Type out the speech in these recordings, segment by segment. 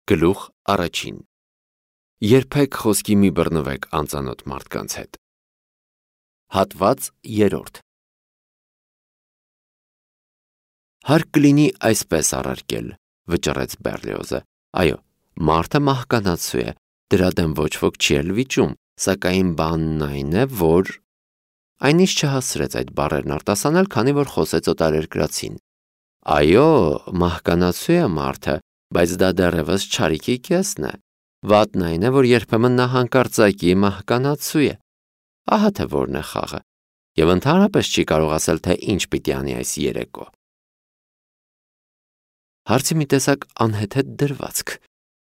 Գլուխ առաջին. Երբեք խոսքի մի բռնվեք անծանոթ մարդկանց հետ։ Հատված երրորդ. Հարկ կլինի այսպես առարկել, վճռեց Բերլիոզը, այո, մարդը մահկանացու է, դրա դեմ ոչ ոք չի էլ վիճում, սակայն բանն այն է, որ… Այն ինչ չհասցրեց այդ բառերն արտասանել, քանի որ խոսեց օտարերկրացին։ Այո, մահկանացու է մարդը, բայց դա դեռևս չարիքի կեսն է։ Վատն այն է, որ երբեմն նա հանկարծակի մահկանացու է։ Ահա թե որն է խաղը, և ընդհանրապես չի կարող ասել, թե ինչ պիտի անի այս երեկո։ Հարցի մի տեսակ անհեթեթ դրվածք,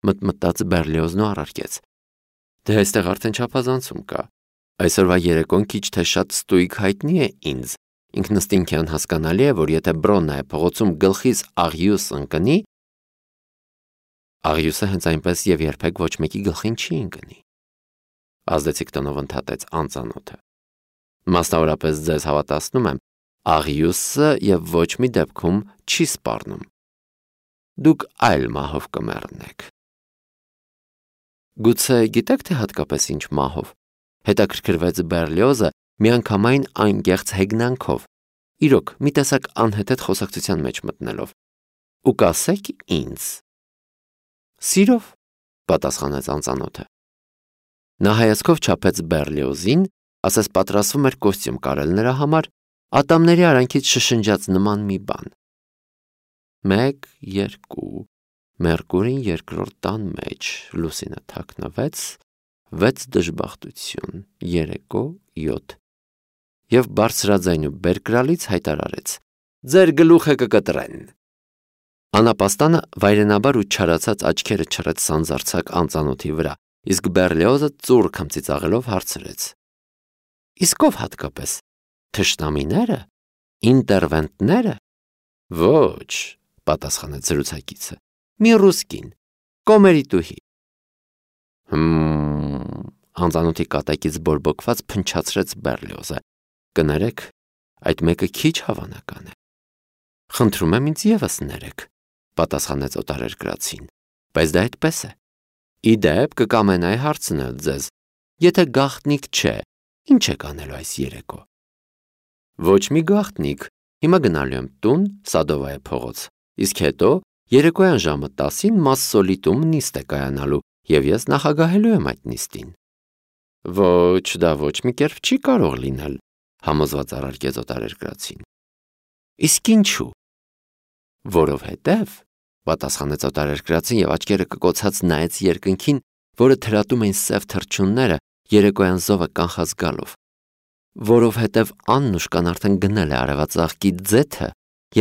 մտմտաց Բերլիոզն ու առարկեց. Դե այստեղ արդեն չափազանցում կա։ Այսօրվա երեկոն քիչ թե շատ ստույգ հայտնի է ինձ։ Ինքնըստինքյան հասկանալի է, որ եթե Բրոննայ փողոցում գլխիս աղյուս ընկնի, աղյուսը հենց այնպես և երբեք ոչ մեկի գլխին չի ընկնի։ Ազդեցիկ տոնով ընդհատեց անծանոթը։ Մասնավորապես ձեզ հավատացնում եմ, աղյուսը և ոչ մի դեպքում չի սպառնում։ Դուք այլ մահով կմեռնեք։ Գուցե գիտեք, թե հատկապես ինչ մահով, հետաքրքրվեց Բերլիոզը միանգամայն անկեղծ հեգնանքով, իրոք մի տեսակ անհեթեթ խոսակցության մեջ մտնելով։ Ու կասեք ինձ։ Սիրով, պատասխանեց անծանոթը։ Նա հայացքով չափեց Բերլիոզին, ասես պատրաստվում էր կոստյում կարել նրա համար, ատամների արանքից շշնջաց նման մի բան։ 1, 2, Մերկուրին երկրորդ տան մեջ, լուսինը թաքնվեց, 6 դժբախտություն, երեկո 7 և բարձրաձայն ու բերկրալից հայտարարեց. Ձեր գլուխը կկտրեն։ Անապաստանը վայրենաբար ու չարացած աչքերը չռեց սանձարձակ անծանոթի վրա, իսկ Բերլիոզը ծուռ քմծիծաղելով հարցրեց. Իսկ ով հատկապես, թշնամիները, ինտերվենտները։ Ոչ, պատասխանեց զրուցակիցը, մի ռուսկին, կոմերիտուհի։ Անծանոթի կատակից բորբոքված փնչացրեց Բերլիոզը։ Կներեք, այդ մեկը քիչ հավանական է։ Խնդրում եմ ինձ ևս ներեք, պատասխանեց օտարերկրացին, բայց դա այդպես է։ Ի դեպ կկամենայի հարցնել ձեզ, եթե գաղտնիք չէ, ինչ եք անելու այս երեկո։ Ոչ մի գաղտնիք, հիմա գնալու եմ տուն, Սադովայե փողոց, իսկ հետո երեկոյան ժամը 10-ին Մասսոլիտում նիստ է կայանալու, և ես նախագահելու եմ այդ նիստին։ Ոչ, դա ոչ մի կերպ չի կարող լինել, համոզված առարկեց օտարերկրացին։ Իսկ ինչու։ Որովհետև, պատասխանեց օտարերկրացին և աչքերը կկոցած նայեց երկնքին, որը թրատում էին սև թռչունները երեկոյան զովը կանխած գալով։ Որովհետև Աննուշկան արդեն գնել է արևածաղկի ձեթը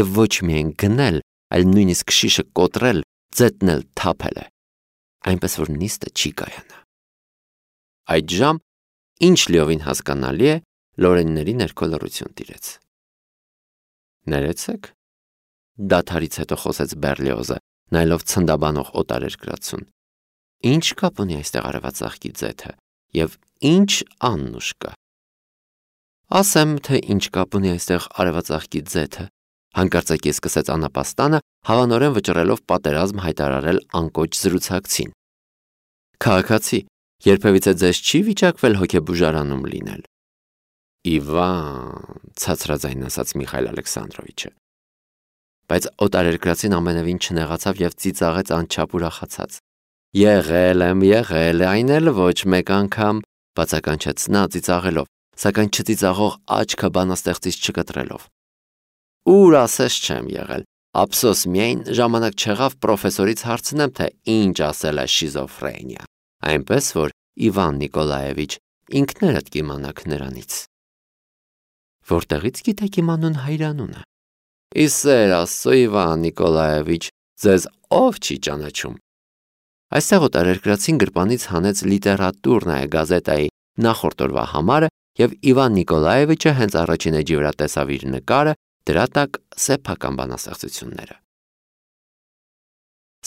և ոչ միայն գնել, այլ նույնիսկ շիշը կոտրել, ձետն էլ թափել է, այնպես որ նիստը չի կայանա։ Այդ ժամ, ինչ լիովին հասկանալի է, լորենների ներքո լռություն տիրեց։ Ներեցեք, դադարից հետո խոսեց Բերլիոզը, նայելով ցնդաբանող օտարերկրացուն։ Ինչ կապ ունի այստեղ արևածաղկի ձեթը և ինչ Աննուշկա։ Ասեմ, թե ինչ կապ ունի այստեղ արևածաղկի ձեթը, հանկարծակի սկսեց անապաստանը, հավանորեն վճռելով պատերազմ հայտարարել անկոչ զրուցակցին։ Քաղաքացի, երբևիցե ձեզ չի վիճակվել հոգեբուժարանում լինել։ Իվան, ցածրաձայն ասաց Միխայել Ալեքսանդրովիչը։ Բայց օտարերկրացին ամենևին չնեղացավ և ծիծաղեց անչափ ուրախացած։ Եղել եմ, այն էլ ոչ մեկ անգամ, բացականչեց նա ծիծաղելով, սակայն չծիծաղող աչքը բանաստեղծից չկտրելով։ Ուր ասես չեմ եղել, ափսոս միայն ժամանակ չեղավ պրոֆեսորից հարցնեմ, թե ինչ ասել է շիզոֆրենիա, այնպես որ Իվան Նիկոլաևիչ, ինքներդ կիմանաք նրանից։ Որտեղից գիտեք իմ անուն հայրանունը։ Իսեր Աստծո, Իվան Նիկոլաևիչ, ձեզ ով չի ճանաչում։ Այստեղ օտարերկրացին գրպանից հանեց Լիտերատուրնայե գազետայի նախորդ օրվա համարը և Իվան Նիկոլաևիչը հենց առաջին էջի վրա տեսավ իր նկարը, դրա տակ սեփական բանաստեղծությունները։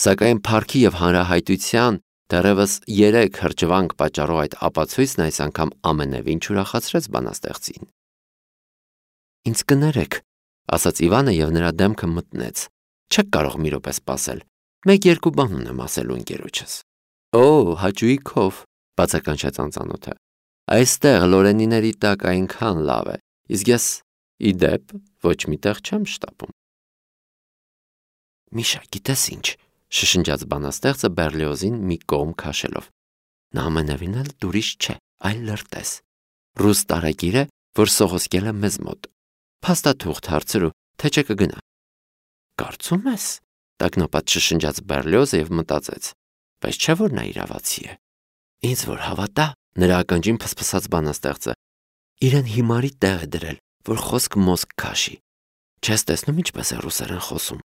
Սակայն փառքի և հանրահայտության դեռևս 3 հրճվանք պատճառող այդ ապացույցն այս անգամ ամենևին չուրախացրեց բանաստեղծին։ Ինձ կներեք, ասաց Իվանը և նրա դեմքը մտնեց։ Չեք կարող մի րոպե սպասել։ Մեկ-երկու բան ունեմ ասելու ընկերոջս։ Օ, հաճույքով, բացականչեց անծանոթը։ Այստեղ լորենիների տակ այնքան լավ է, իսկ ես ի դեպ ոչ միտեղ չեմ շտապում։ Միշա, գիտես ինչ, շշնջաց բանաստեղծը Բերլիոզին մի կողմ քաշելով։ Նա ամենևին էլ դուրիշ չէ, այլ լրտես։ Ռուս տարագիր է, որ սողոսկել է մեզ մոտ։ Փաստաթուղթ հարցրու, թե չէ կգնա։ Կարծում ես, տագնապած շշնջաց Բերլիոզը եւ մտածեց, բայց չէ որ նա իրավացի է։ Ինձ որ հավատա, նրա ականջին փսփսաց բանաստեղծը։ Իրեն հիմարի տեղ է դրել, որ խոսք մոսկ քաշի։ Չես տեսնում ինչպես է ռուսերեն խոսում։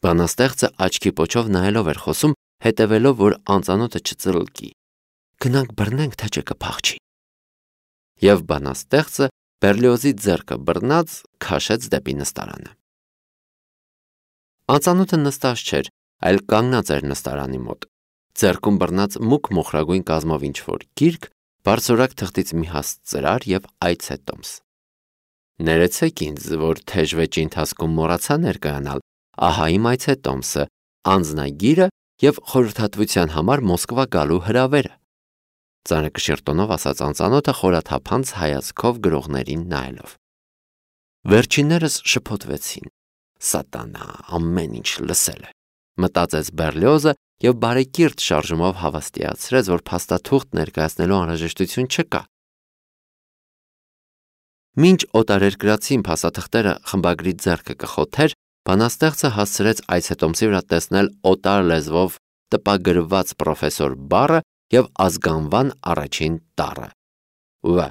Բանաստեղծը աչքի պոչով նայելով էր խոսում, հետևելով, որ անծանոթը չծլկի։ Գնանք բռնենք, թե չէ կփախչի։ Եվ բանաստեղծը Բերլիոզի ձեռքը բռնած քաշեց դեպի նստարանը։ Անծանոթը նստած չէր, այլ կանգնած էր նստարանի մոտ։ Ձեռքում բռնած մուգ մոխրագույն կազմով ինչ-որ գիրք, բարձրորակ թղթից մի հաստ ծրար եւ այցե տոմս։ Ներեցեք ինձ, որ թեժ վեճի ընթացքում մոռացա ներկայանալ, ահա իմ այցե տոմսը, անձնագիրը եւ խորհրդատվության համար Մոսկվա գալու հրավերը։ Ծանրակշիռ տոնով ասաց անծանոթը խորաթափանց հայացքով գրողներին նայելով։ Վերջիններս շփոթվեցին։ Սատանա, ամեն ինչ լսել է, մտածեց Բերլիոզը եւ բարեկիրթ շարժումով հավաստիացրեց, որ փաստաթուղթ ներկայացնելու անհրաժեշտություն չկա։ Մինչ օտարերկրացին փաստաթղթերը խմբագրի ձեռքը կխոթեր, բանաստեղծը հասցրեց այցետոմսի վրա տեսնել օտար լեզվով տպագրված պրոֆեսոր բառը եւ ազգանվան առաջին տառը։ Վ.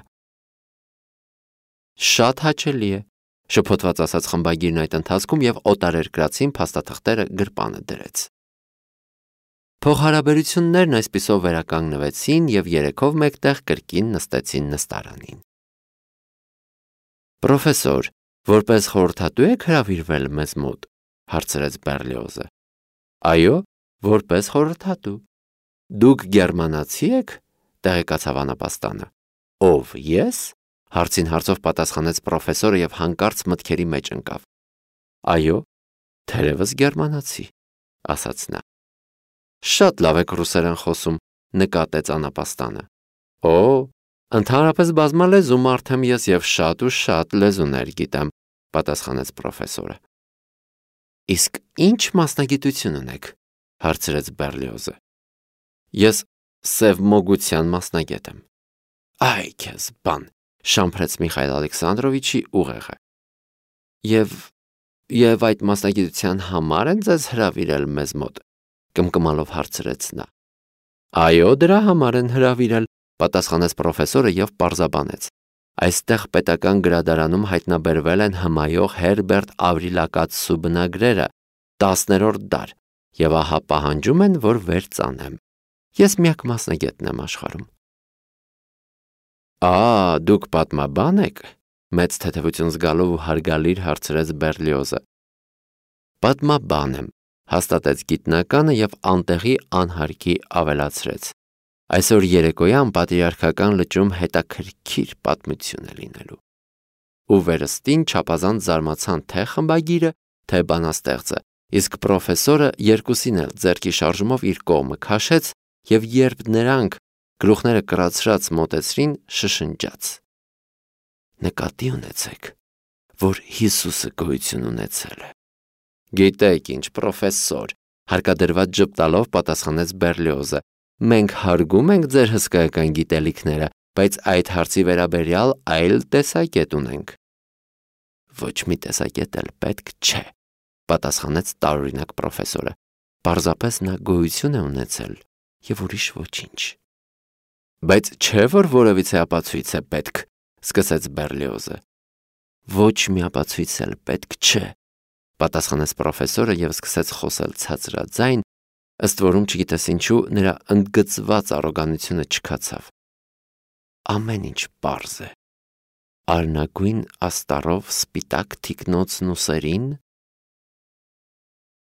Շատ հաճելի է, շփոթված ասաց խմբագիրն այդ ընթացքում եւ օտարերկրացին փաստաթղթերը գրպանը դրեց։ Փոխհարաբերություններն այսպիսով վերականգնվեցին եւ երեքով մեկտեղ կրկին նստեցին նստարանին։ Պրոֆեսոր, որպես խորհրդատու եք հրավիրվել մեզ մոտ, հարցրեց Բերլիոզը։ Այո, որպես խորհրդատու։ Դուք գերմանացի եք, տեղեկացավ անապաստանը։ Ով ես, հարցին հարցով պատասխանեց պրոֆեսորը եւ հանկարծ մտքերի մեջ ընկավ։ Այո, թերևս գերմանացի, ասաց նա։ Շատ լավ եք ռուսերեն խոսում, նկատեց անապաստանը։ Օ, ընդհանրապես բազմալեզու մարդ եմ ես եւ շատ լեզուներ գիտեմ, պատասխանեց պրոֆեսորը։ Իսկ ինչ մասնագիտություն ունեք, հարցրեց Բերլիոզը։ Ես սևմոգության մասնագետ եմ։ Այ քեզ բան, շամփրեց Միխայել Ալեքսանդրովիչի ուղեղը։ Եվ այդ մասնագիտության համար են ձեզ հրավիրել մեզ մոտ, կմկմալով հարցրեց նա։ Այո, դրա համար են հրավիրել, պատասխանեց պրոֆեսորը եւ պարզաբանեց։ Այստեղ պետական գրադարանում հայտնաբերվել են հմայող Հերբերտ Ավրիլակացու բնագրերը, 10-րդ դար, եւ ահա պահանջում են, որ վեր ծանեմ։ Ես միակ մասնագետն եմ աշխարհում։ Դուք պատմաբան եք, մեծ թեթևություն զգալով ու հարգալիր հարցրեց Բերլիոզը։ Պատմաբան եմ, հաստատեց գիտնականը եւ անտեղի անհարկի ավելացրեց։ Այսօր երեկոյան պատրիարքական լճում հետաքրքիր պատմություն է լինելու։ Ու վերստին չափազանց զարմացան թե խմբագիրը, թե բանաստեղծը, իսկ պրոֆեսորը երկուսին էլ ձեռքի շարժումով իր կողմը քաշեց եւ երբ նրանք գլուխները կրացրած մոտեցրին, շշնջաց. Նկատի ունեցեք, որ Հիսուսը գոյություն ունեցել է։ Գիտեք ինչ, պրոֆեսոր, հարկադրված ժպտալով պատասխանեց Բերլիոզը։ Մենք հարգում ենք ձեր հսկայական գիտելիքները, բայց այդ հարցի վերաբերյալ այլ տեսակետ ունենք։ Ոչ մի տեսակետ էլ պետք չէ, պատասխանեց տարօրինակ պրոֆեսորը։ Պարզապես նա գոյություն է ունեցել եւ ուրիշ ոչինչ։ Բայց չէ որ որևիցե ապացույց է պետք, սկսեց Բերլիոզը։ Ոչ մի ապացույց էլ պետք չէ, պատասխանեց պրոֆեսորը եւ սկսեց խոսել ցածրաձայն, ըստ որում չգիտես ինչու նրա ընդգծված առոգանությունը չքացավ։ Ամեն ինչ պարզ է։ Արնագույն աստառով սպիտակ թիկնոցն ուսերին,